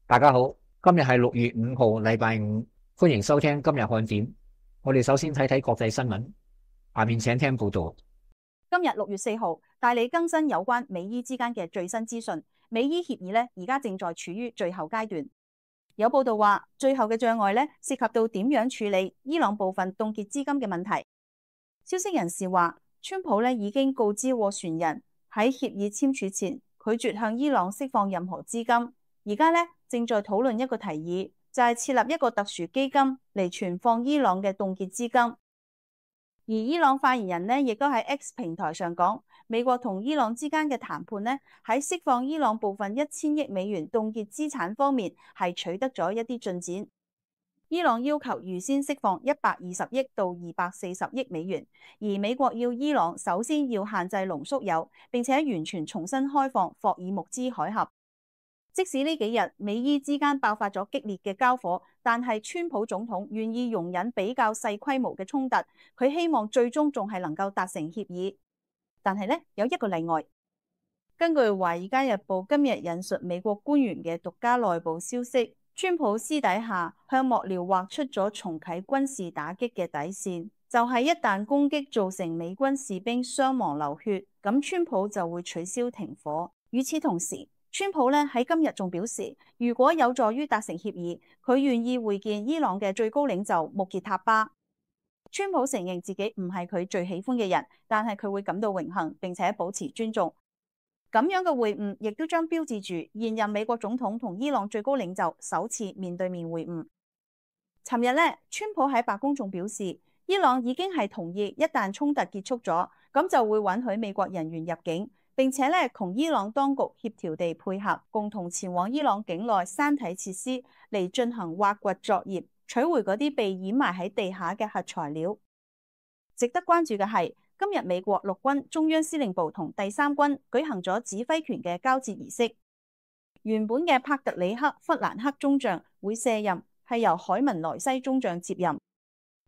大家好，今日係6月5號，禮拜五，歡迎收聽今日看點。我哋首先睇睇國際新聞，下面請聽報道。今日6月4號，大理更新有關美伊之間嘅最新資訊。美伊協議呢，而家正在處於最後階段。有報道話，最後嘅障礙呢，涉及到點樣處理伊朗部分凍結資金嘅問題。消息人士話，川普呢已經告知斡旋人喺協議簽署前拒絕向伊朗釋放任何資金。而家呢，正在討論一個提議，就係設立一個特殊基金嚟存放伊朗嘅凍結資金。而伊朗發言人呢，亦都喺 X 平台上講，美國同伊朗之間嘅談判呢，喺釋放伊朗部分1000億美元凍結資產方面係取得咗一啲進展。伊朗要求預先釋放120億到240億美元，而美國要伊朗首先要限制濃縮鈾，並且完全重新開放霍爾木茲海峽。即使呢幾日美伊之間爆發咗激烈嘅交火，但係川普總統願意容忍比較細規模嘅衝突，佢希望最終仲係能夠達成協議。但係呢，有一個例外。根據《華爾街日報》今日引述美國官員嘅獨家內部消息，川普私底下向幕僚畫出咗重啟軍事打擊嘅底線，就係一旦攻擊造成美軍士兵傷亡流血，咁川普就會取消停火。與此同時，川普呢喺今日仲表示，如果有助於達成協議，佢願意會見伊朗嘅最高領袖穆傑塔巴。川普承認自己唔係佢最喜歡嘅人，但係佢會感到榮幸並且保持尊重。咁樣嘅會晤亦都將標誌住現任美國總統同伊朗最高領袖首次面對面會晤。尋日呢，川普喺白宮仲表示，伊朗已經係同意一旦衝突結束咗，咁就會允許美國人員入境。並且咧，同伊朗當局協調地配合，共同前往伊朗境內山體設施嚟進行挖掘作業，取回嗰啲被掩埋喺地下嘅核材料。值得關注嘅係，今日美國陸軍中央司令部同第三軍舉行咗指揮權嘅交接儀式。原本嘅帕特里克·弗蘭克中將會卸任，係由海文萊西中將接任。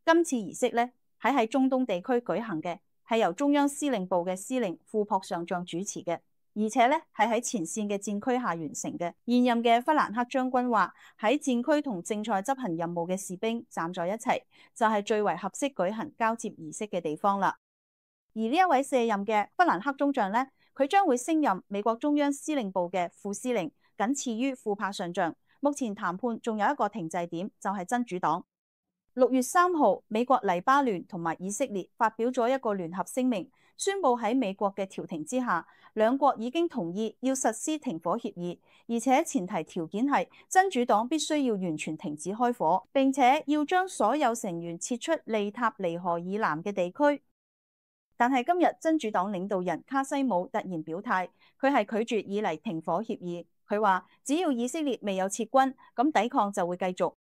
今次儀式咧喺中東地區舉行嘅，係由中央司令部嘅司令庫珀上將主持嘅，而且咧係喺前線嘅戰區下完成嘅。現任嘅弗蘭克將軍話，喺戰區同正在執行任務嘅士兵站在一齊，就係最為合適舉行交接儀式嘅地方啦。而呢一位卸任嘅弗蘭克中將呢，佢將會升任美國中央司令部嘅副司令，僅次於庫珀上將。目前談判仲有一個停滯點，就係真主黨。6月3號，美國、黎巴嫩同埋以色列發表咗一個聯合聲明，宣布喺美國嘅調停之下，兩國已經同意要實施停火協議，而且前提條件係真主黨必須要完全停止開火，並且要將所有成員撤出利塔尼河以南嘅地區。但係今日真主黨領導人卡西姆突然表態，佢係拒絕以嚟停火協議。佢話只要以色列未有撤軍，咁抵抗就會繼續。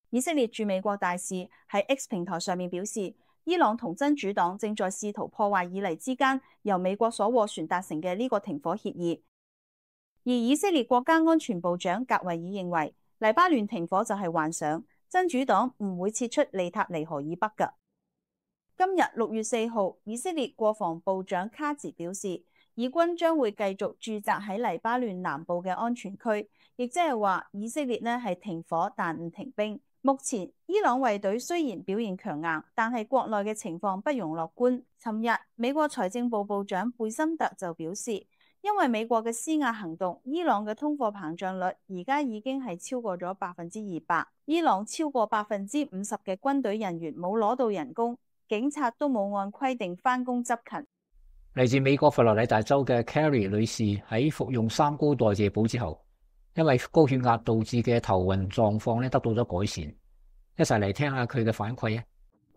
以色列駐美國大使喺 X 平台上面表示，伊朗同真主黨正在試圖破壞以嚟之間由美國所斡旋達成嘅呢個停火協議。而以色列國家安全部長格維爾認為，黎巴嫩停火就係幻想，真主黨唔會撤出利塔尼河以北㗎。今日6月4號，以色列國防部長卡茲表示，以軍將會繼續駐紮喺黎巴嫩南部嘅安全區，亦即係話以色列呢係停火但唔停兵。目前伊朗衛隊雖然表現強硬，但係國內嘅情況不容樂觀。尋日美國財政部部長貝森特就表示，因為美國嘅施壓行動，伊朗嘅通貨膨脹率而家已經係超過咗200%。伊朗超過50%嘅軍隊人員冇攞到人工，警察都冇按規定返工執勤。嚟自美國佛羅里達州嘅 Carrie 女士喺服用三高代謝補之後，因為高血壓導致嘅頭暈狀況得到咗改善，一齊嚟聽下佢嘅反饋啊！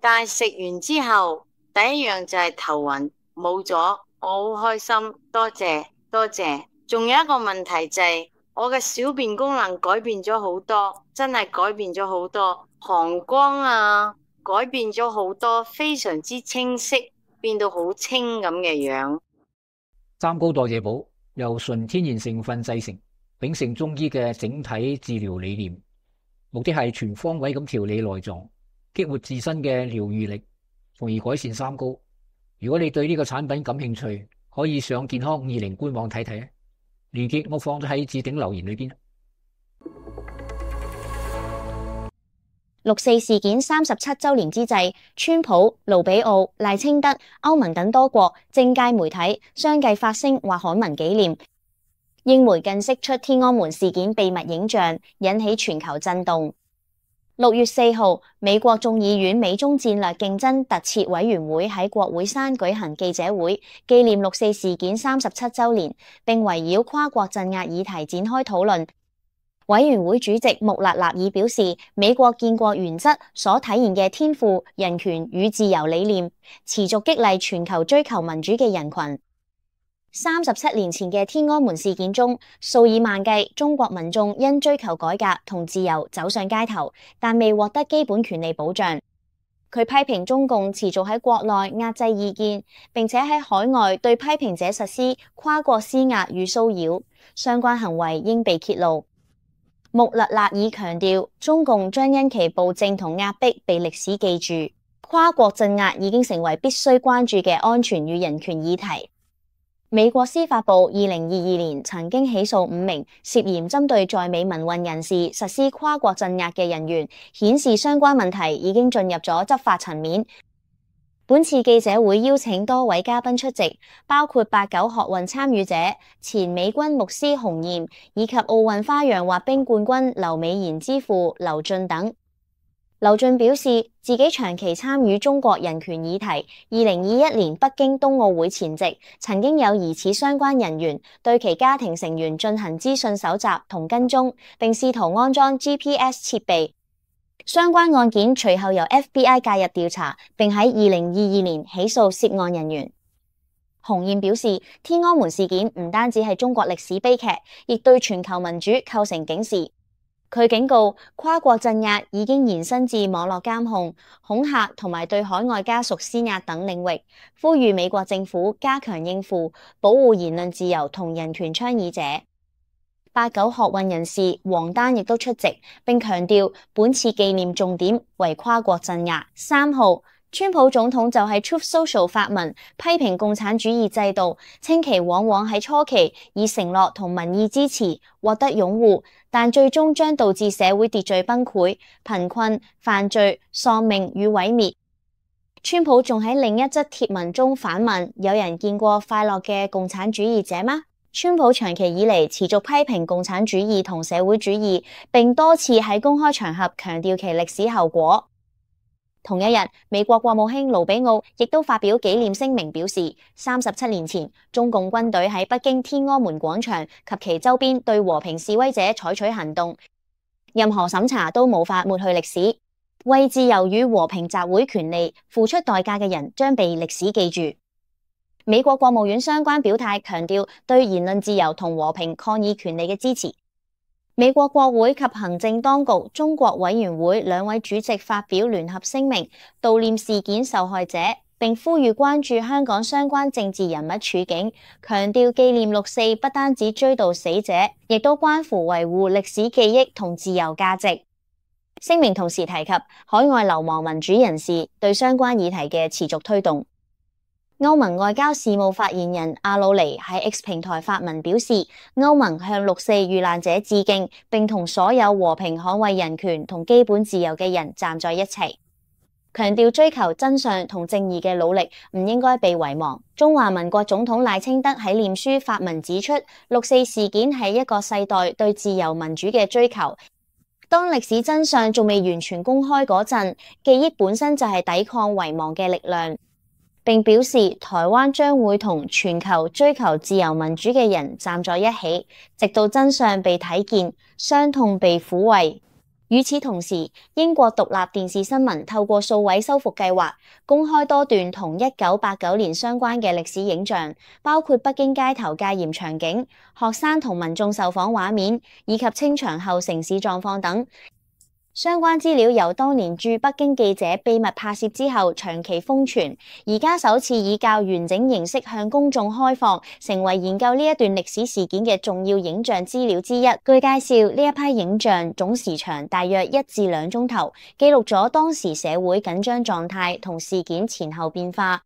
但係食完之後，第一樣就係頭暈冇咗，我好開心，多謝多謝。仲有一個問題就係我嘅小便功能改變咗好多，真係改變咗好多，膀胱啊改變咗好多，非常之清晰，變到好清咁嘅樣。三高代謝補由純天然成分製成，秉承中醫嘅整體治療理念，目的係全方位咁調理內臟，激活自身嘅療愈力，從而改善三高。如果你對呢個產品感興趣，可以上健康50官網睇睇，鏈接我放咗喺置頂留言裏邊。六四事件37週年之際，川普、盧比奧、賴清德、歐盟等多國政界媒體相繼發聲或刊文紀念。英媒更釋出天安門事件秘密影像，引起全球震動。6月4號，美國眾議院美中戰略競爭特設委員會喺國會山舉行記者會，紀念六四事件37週年，並圍繞跨國鎮壓議題展開討論。委員會主席穆勒納爾表示，美國建國原則所體現嘅天賦、人權與自由理念，持續激勵全球追求民主嘅人群。37年前嘅天安門事件中，數以萬計中國民眾因追求改革同自由走上街頭，但未獲得基本權利保障。佢批評中共持續喺國內壓制意見，並且喺海外對批評者實施跨國施壓與騷擾，相關行為應被揭露。穆勒納爾強調，中共將因其暴政同壓迫被歷史記住。跨國鎮壓已經成為必須關注嘅安全與人權議題。美國司法部2022年曾經起訴5名涉嫌針對在美民運人士實施跨國鎮壓嘅人員，顯示相關問題已經進入咗執法層面。本次記者會邀請多位嘉賓出席，包括89學運參與者、前美軍牧師洪炎以及奧運花樣滑冰冠軍劉美妍之父劉俊等。劉俊表示，自己長期參與中國人權議題。2021年北京冬奧會前夕，曾經有疑似相關人員對其家庭成員進行資訊搜集同跟蹤，並試圖安裝 GPS 設備。相關案件隨後由 FBI 介入調查，並喺2022年起訴涉案人員。洪燕表示，天安門事件唔單止係中國歷史悲劇，亦對全球民主構成警示。佢警告，跨國鎮壓已經延伸至網絡監控、恐嚇同埋對海外家屬施壓等領域，呼籲美國政府加強應付，保護言論自由同人權倡議者。89學運人士王丹亦都出席，並強調本次紀念重點為跨國鎮壓。3號，川普總統就喺 Truth Social 發文批評共產主義制度，稱其往往喺初期以承諾同民意支持獲得擁護，但最終將導致社會秩序崩潰、貧困、犯罪、喪命與毀滅。川普仲喺另一則貼文中反問：有人見過快樂嘅共產主義者嗎？川普長期以嚟持續批評共產主義同社會主義，並多次喺公開場合強調其歷史後果。同一日，美國國務卿盧比奧亦都發表紀念聲明，表示37年前中共軍隊喺北京天安門廣場及其周邊對和平示威者採取行動，任何審查都無法抹去歷史。為自由與和平集會權利付出代價嘅人將被歷史記住。美國國務院相關表態強調對言論自由同和平抗議權利嘅支持。美國國會及行政當局中國委員會兩位主席發表聯合聲明，悼念事件受害者，並呼籲關注香港相關政治人物處境，強調紀念六四不單止追悼死者，亦都關乎維護歷史記憶同自由價值。聲明同時提及海外流亡民主人士對相關議題嘅持續推動。歐盟外交事務發言人阿魯尼喺 X 平台發文表示，歐盟向六四遇難者致敬，並同所有和平捍衛人權同基本自由嘅人站在一齊，強調追求真相同正義嘅努力唔應該被遺忘。中華民國總統賴清德喺臉書發文指出，六四事件係一個世代對自由民主嘅追求。當歷史真相仲未完全公開嗰陣，記憶本身就係抵抗遺忘嘅力量。並表示台灣將會同全球追求自由民主嘅人站在一起，直到真相被睇見，傷痛被撫慰。與此同時，英國獨立電視新聞透過數位修復計劃，公開多段同1989年相關嘅歷史影像，包括北京街頭戒嚴場景、學生同民眾受訪畫面，以及清場後城市狀況等。相關資料由當年駐北京記者秘密拍攝之後長期封存，而家首次以較完整形式向公眾開放，成為研究呢一段歷史事件嘅重要影像資料之一。據介紹，呢一批影像總時長大約1至2鐘頭，記錄咗當時社會緊張狀態同事件前後變化。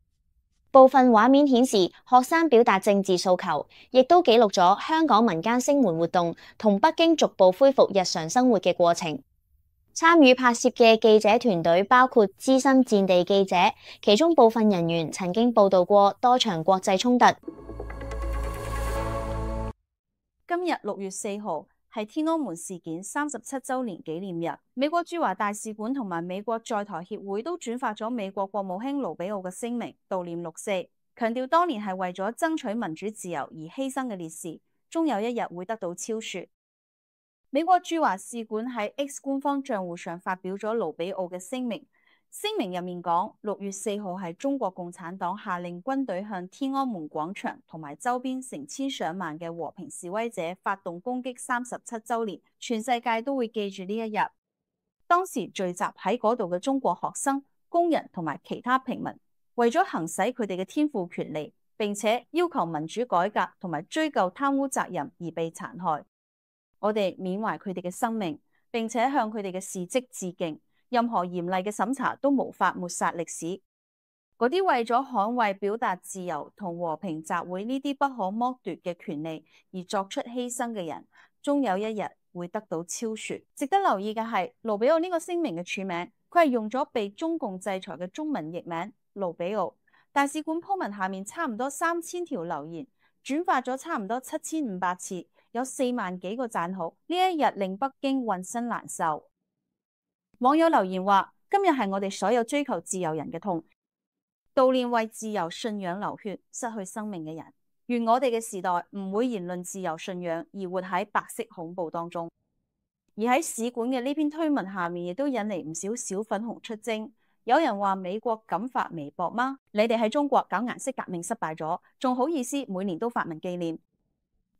部分畫面顯示學生表達政治訴求，亦都記錄咗香港民間聲援活動同北京逐步恢復日常生活嘅過程。參與拍攝嘅記者團隊包括資深戰地記者，其中部分人員曾經報導過多場國際衝突。今日6月4號係天安門事件37週年紀念日，美國駐華大使館同埋美國在台協會都轉發咗美國國務卿盧比奧嘅聲明，悼念6·4，強調當年係為咗爭取民主自由而犧牲嘅烈士，終有一日會得到昭雪。美國駐華使館喺 X 官方賬戶上發表咗盧比奧嘅聲明，聲明入面講6月4號係中國共產黨下令軍隊向天安門廣場同埋周邊成千上萬嘅和平示威者發動攻擊37週年，全世界都會記住呢一日。當時聚集喺嗰度嘅中國學生、工人同埋其他平民，為咗行使佢哋嘅天賦權利，並且要求民主改革同埋追究貪污責任而被殘害。我哋緬懷佢哋嘅生命，並且向佢哋嘅事蹟致敬。任何嚴厲嘅審查都無法抹殺歷史。嗰啲為咗捍衛表達自由同和平集會呢啲不可剝奪嘅權利而作出犧牲嘅人，終有一日會得到昭雪。值得留意嘅係，盧比奧呢個聲明嘅署名，佢係用咗被中共制裁嘅中文譯名盧比奧。大使館鋪文下面差唔多3000條留言，轉發咗差唔多7500次。有4萬幾個讚好，呢一日令北京渾身難受。網友留言話：今日係我哋所有追求自由人嘅痛，悼念為自由信仰流血、失去生命嘅人。願我哋嘅時代唔會言論自由信仰而活喺白色恐怖當中。而喺使館嘅呢篇推文下面，亦都引嚟唔少小粉紅出征。有人話美國敢發微博嗎？你哋喺中國搞顏色革命失敗咗，仲好意思每年都發文紀念？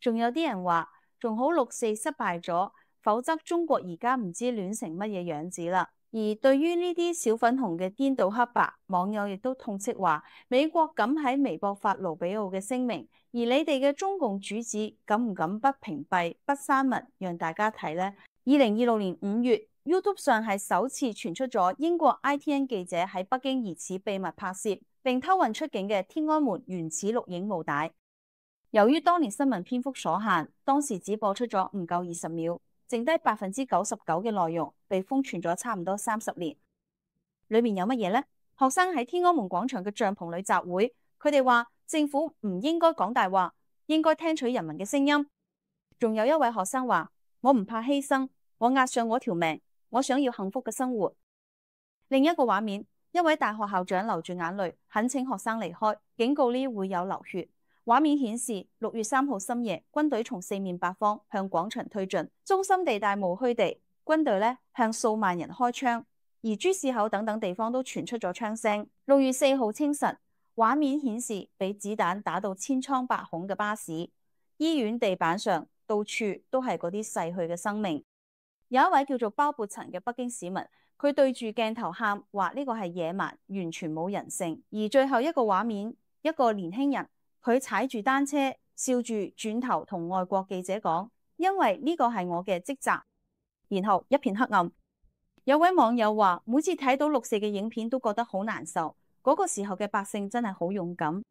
仲有啲人話，仲好6·4失敗咗，否則中國而家唔知亂成乜嘢樣子啦。而對於呢啲小粉紅嘅顛倒黑白，網友亦都痛斥話，美國敢喺微博發盧比奧嘅聲明，而你哋嘅中共主子敢唔敢不屏蔽、不刪文，讓大家睇呢？2026年5月 YouTube 上係首次傳出咗英國 ITN 記者喺北京疑似秘密拍攝並偷運出境嘅天安門原始錄影母帶。由於當年新聞篇幅所限，當時只播出咗唔夠20秒，剩低99%嘅內容被封存咗差唔多30年。裏面有乜嘢呢？學生喺天安門廣場嘅帳篷裏集會，佢哋話政府唔應該講大話，應該聽取人民嘅聲音。仲有一位學生話：我唔怕犧牲，我押上我條命，我想要幸福嘅生活。另一個畫面，一位大學校長流住眼淚，懇請學生離開，警告呢會有流血。畫面顯示6月3號深夜，軍隊從4面八方向廣場推進，中心地帶無虛地，軍隊向數萬人開槍，而朱市口等等地方都傳出咗槍聲。6月4號清晨，畫面顯示被子彈打到千瘡百孔嘅巴士，醫院地板上到處都係嗰啲逝去嘅生命。有一位叫做包勃陳嘅北京市民，佢對住鏡頭喊話呢個係野蠻，完全冇人性。而最後一個畫面，一個年輕人，佢踩住單車，笑住轉頭同外國記者講：因為呢個係我嘅職責。然後一片黑暗。有位網友話：每次睇到6·4嘅影片都覺得好難受。嗰個時候嘅百姓真係好勇敢。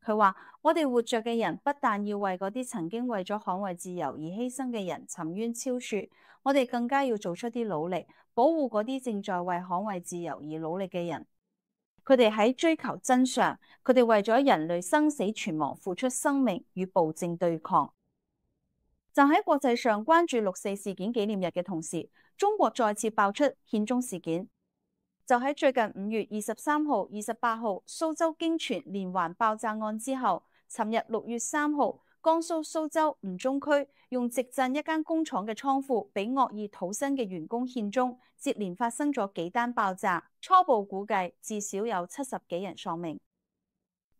佢話：我哋活着嘅人不但要為嗰啲曾經為咗捍衛自由而犧牲嘅人沉冤昭雪，我哋更加要做出啲努力，保護嗰啲正在為捍衛自由而努力嘅人。佢哋喺追求真相，佢哋為咗人類生死存亡付出生命與暴政對抗。就喺國際上關注6·4事件紀念日嘅同時，中國再次爆出獻中事件。就喺最近5月23號、28號蘇州驚傳連環爆炸案之後，尋日6月3號，江蘇蘇州吳中區用直鎮一間工廠嘅倉庫，俾惡意土生嘅員工獻中，接連發生咗幾單爆炸，初步估計至少有70幾人喪命。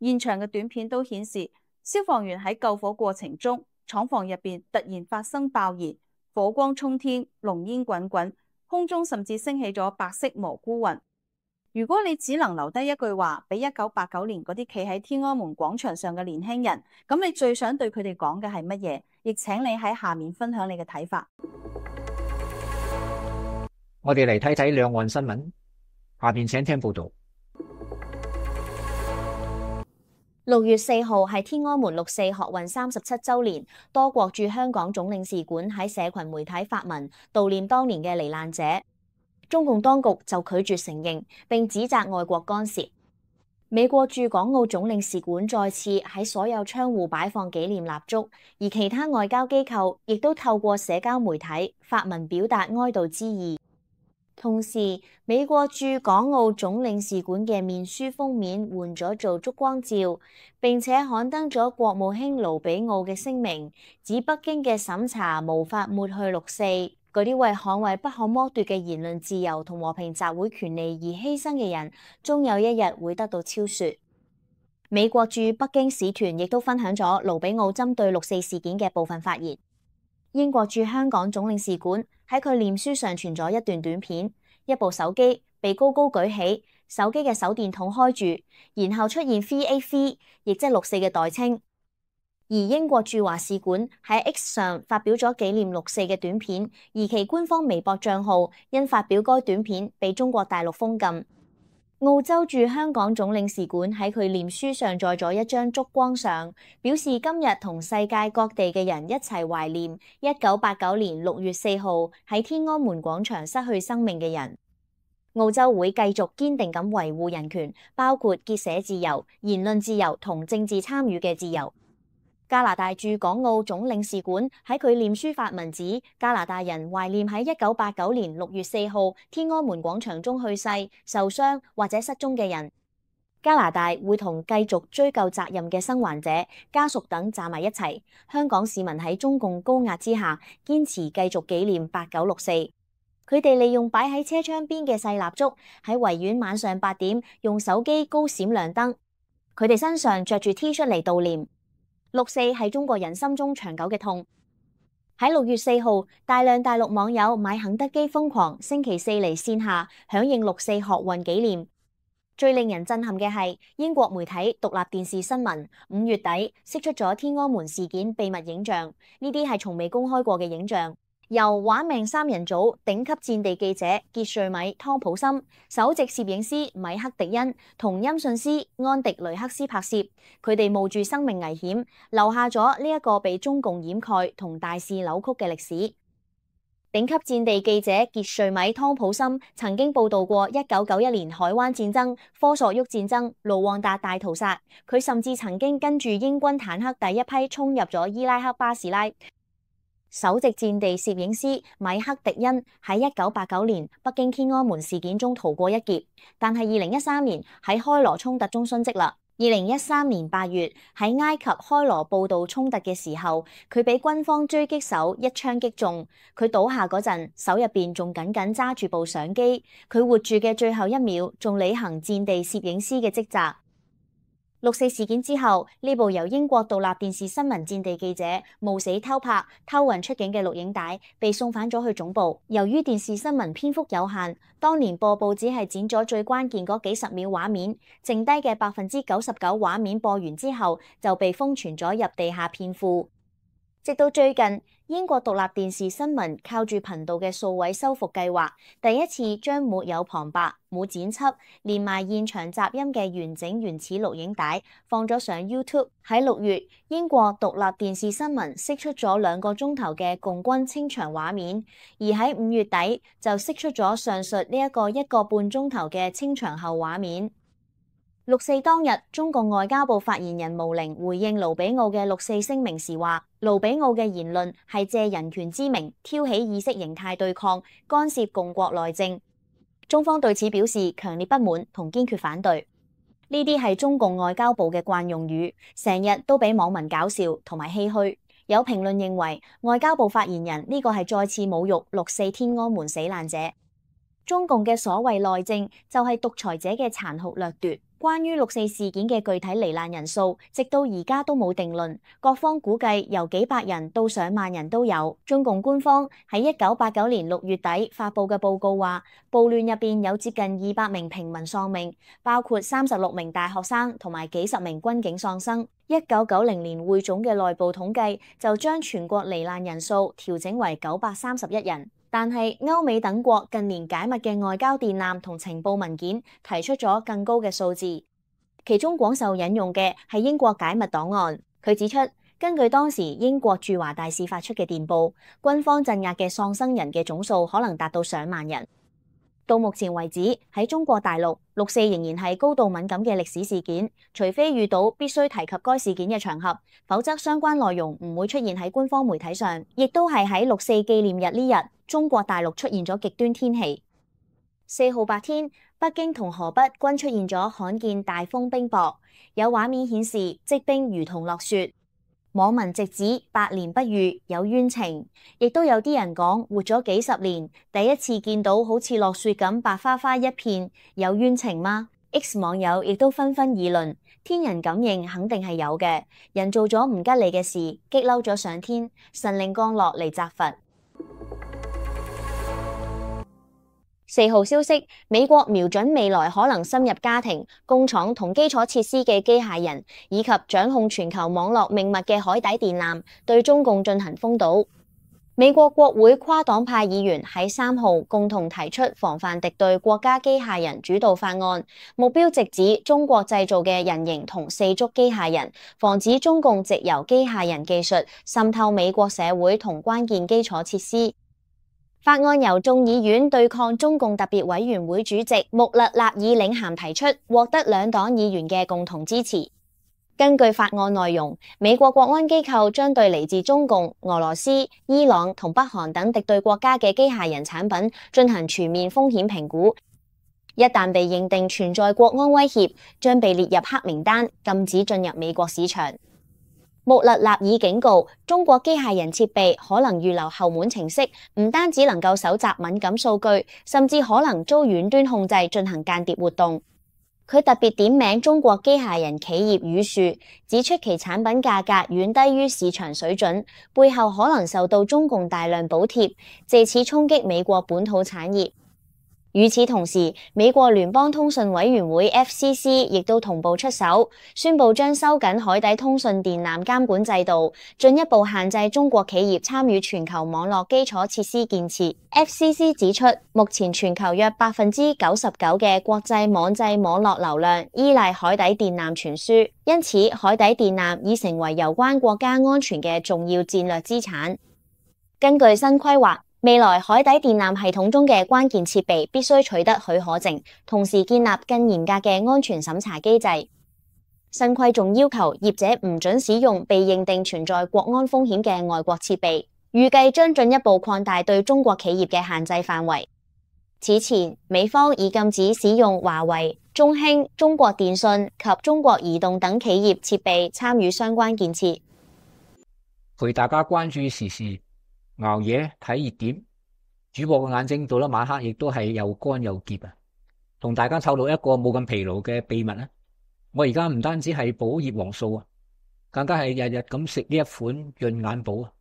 現場嘅短片都顯示，消防員喺救火過程中，廠房入邊突然發生爆燃，火光衝天，濃煙滾滾。空中甚至升起咗白色蘑菇雲。如果你只能留低一句話俾1989年嗰啲企喺天安門廣場上嘅年輕人，咁你最想對佢哋講嘅係乜嘢？亦請你喺下面分享你嘅睇法。我哋嚟睇睇兩岸新聞，下邊請聽報道。6月4號係天安門6·4學運37週年，多國駐香港總領事館喺社群媒體發文悼念當年嘅罹難者。中共當局就拒絕承認，並指責外國干涉。美國駐港澳總領事館再次喺所有窗戶擺放紀念蠟燭，而其他外交機構亦都透過社交媒體發文表達哀悼之意。同時，美國駐港澳總領事館嘅面書封面換咗做燭光照，並且刊登咗國務卿盧比奧嘅聲明，指北京嘅審查無法抹去六四，嗰啲為捍衛不可剝奪嘅言論自由同和平集會權利而犧牲嘅人，終有一日會得到昭雪。美國駐北京使團亦都分享咗盧比奧針對六四事件嘅部分發言。英國駐香港總領事館喺佢臉書上傳咗一段短片，一部手機被高高舉起，手機嘅手電筒開住，然後出現 3A3， 亦即六四嘅代稱。而英國駐華使館喺 X 上發表咗紀念六四嘅短片，而其官方微博賬號因發表該短片被中國大陸封禁。澳洲駐香港總領事館喺佢臉書上載咗一張燭光相，表示今日同世界各地嘅人一齊懷念1989年6月4號喺天安門廣場失去生命嘅人。澳洲會繼續堅定咁維護人權，包括結社自由、言論自由同政治參與嘅自由。加拿大駐港澳總領事館喺佢臉書發文指，加拿大人懷念喺1989年6月4號天安門廣場中去世、受傷或者失蹤嘅人。加拿大會同繼續追究責任嘅生還者、家屬等站埋一齊。香港市民喺中共高壓之下，堅持繼續紀念8964。佢哋利用擺喺車窗邊嘅細蠟燭，喺維園晚上8點用手機高閃亮燈。佢哋身上着住 T 恤嚟悼念。六四係中國人心中長久嘅痛。喺6月4號，大量大陸網友買肯德基瘋狂，星期四嚟線下響應六四學運紀念。最令人震撼嘅係英國媒體獨立電視新聞5月底釋出咗天安門事件秘密影像，呢啲係從未公開過嘅影像。由玩命三人組頂級戰地記者傑瑞米、湯普森、首席攝影師米克迪恩同音訊師安迪雷克斯拍攝，佢哋冒住生命危險，留下咗呢一個被中共掩蓋同大肆扭曲嘅歷史。頂級戰地記者傑瑞米、湯普森曾經報道過1991年海灣戰爭、科索沃戰爭、盧旺達大屠殺，佢甚至曾經跟住英軍坦克第一批衝入咗伊拉克巴士拉。首席戰地攝影師米克迪恩喺1989年北京天安門事件中逃過一劫，但係2013年喺開羅衝突中殉職啦。2013年8月喺埃及開羅報道衝突嘅時候，佢俾軍方狙擊手一槍擊中，佢倒下嗰陣手入邊仲緊緊揸住部相機，佢活住嘅最後一秒仲履行戰地攝影師嘅職責。六四事件之後，呢部由英國獨立電視新聞戰地記者冒死偷拍、偷運出境嘅錄影帶被送返咗去總部。由於電視新聞篇幅有限，當年播報只係剪咗最關鍵嗰幾十秒畫面，剩低嘅99%畫面播完之後就被封存咗入地下片庫。直到最近，英國獨立電視新聞靠住頻道嘅數位修復計劃，第一次將沒有旁白、冇剪輯，連埋現場雜音嘅完整原始錄影帶放咗上 YouTube。喺6月，英國獨立電視新聞釋出咗2個鐘頭嘅共軍清場畫面，而喺5月底就釋出咗上述呢一個1個半鐘頭嘅清場後畫面。六四當日，中共外交部發言人毛寧回應盧比奧嘅六四聲明時話，盧比奧嘅言論係借人權之名挑起意識形態對抗，干涉共國內政。中方對此表示強烈不滿同堅決反對。呢啲係中共外交部嘅慣用語，成日都俾網民搞笑同埋唏噓。有評論認為，外交部發言人呢個係再次侮辱六四天安門死難者。中共嘅所謂內政就係獨裁者嘅殘酷掠奪。關於六四事件嘅具體罹難人數，直到而家都冇定論，各方估計由幾百人到上萬人都有。中共官方喺1989年6月底發布嘅報告話，暴亂入邊有接近200名平民喪命，包括36名大學生同埋幾十名軍警喪生。1990年匯總嘅內部統計就將全國罹難人數調整為931人。但係歐美等國近年解密嘅外交電纜同情報文件提出咗更高嘅數字，其中廣受引用嘅係英國解密檔案。佢指出，根據當時英國駐華大使發出嘅電報，軍方鎮壓嘅喪生人嘅總數可能達到上萬人。到目前為止，喺中國大陸，6·4仍然係高度敏感嘅歷史事件，除非遇到必須提及該事件嘅場合，否則相關內容唔會出現喺官方媒體上。亦都係喺6·4紀念日呢日，中國大陸出現咗極端天氣。4號白天，北京同河北均出現咗罕見大風冰雹，有畫面顯示積冰如同落雪。網民直指百年不遇，有冤情，亦都有啲人講活咗幾十年，第一次見到好似落雪咁白花花一片，有冤情嗎？ X 網友亦都紛紛議論，天人感應肯定係有嘅，人做咗唔吉利嘅事，激嬲咗上天，神靈降落嚟責罰。4號消息，美國瞄準未來可能深入家庭、工廠同基礎設施嘅機械人，以及掌控全球網絡命脈嘅海底電纜，對中共進行封堵。美國國會跨黨派議員喺3號共同提出防範敵對國家機械人主導法案，目標直指中國製造嘅人形同四足機械人，防止中共藉由機械人技術滲透美國社會同關鍵基礎設施。法案由眾議院對抗中共特別委員會主席穆勒納爾領銜提出，獲得兩黨議員嘅共同支持。根據法案內容，美國國安機構將對嚟自中共、俄羅斯、伊朗同北韓等敵對國家嘅機械人產品進行全面風險評估，一旦被認定存在國安威脅，將被列入黑名單，禁止進入美國市場。穆勒納爾警告，中國機械人設備可能預留後門程式，唔單止能夠搜集敏感數據，甚至可能遭遠端控制進行間諜活動。佢特別點名中國機械人企業宇樹，指出其產品價格遠低於市場水準，背後可能受到中共大量補貼，借此衝擊美國本土產業。與此同時，美國聯邦通訊委員會 FCC 亦都同步出手，宣布將收緊海底通訊電纜監管制度，進一步限制中國企業參與全球網絡基礎設施建設。FCC 指出，目前全球約99%嘅國際網際網絡流量依賴海底電纜傳輸，因此海底電纜已成為有關國家安全嘅重要戰略資產。根據新規劃，未來海底電纜系統中嘅關鍵設備必須取得許可證，同時建立更嚴格嘅安全審查機制。新規仲要求業者唔准使用被認定存在國安風險嘅外國設備，預計將進一步擴大對中國企業嘅限制範圍。此前，美方已禁止使用華為、中興、中國電信及中國移動等企業設備參與相關建設。陪大家關注時事，熬夜睇熱點，主播嘅眼睛到咗晚黑亦都係又乾又澀啊！同大家透露一個冇咁疲勞嘅秘密啊！我而家唔單止係補葉黃素啊，更加係日日咁食呢一款潤眼寶啊！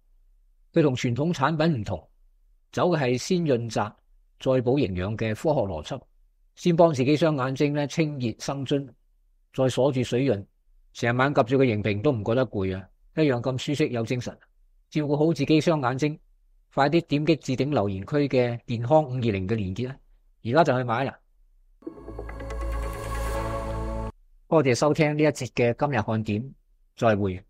佢同傳統產品唔同，走嘅係先潤澤再補營養嘅科學邏輯，先幫自己雙眼睛咧清熱生津，再鎖住水潤，成晚及住個螢屏都唔覺得攰啊！一樣咁舒適有精神。照顧好自己雙眼睛，快啲點擊置頂留言區嘅健康520嘅連結啦！而家就去買啦！多謝收聽呢一節嘅今日看點，再會。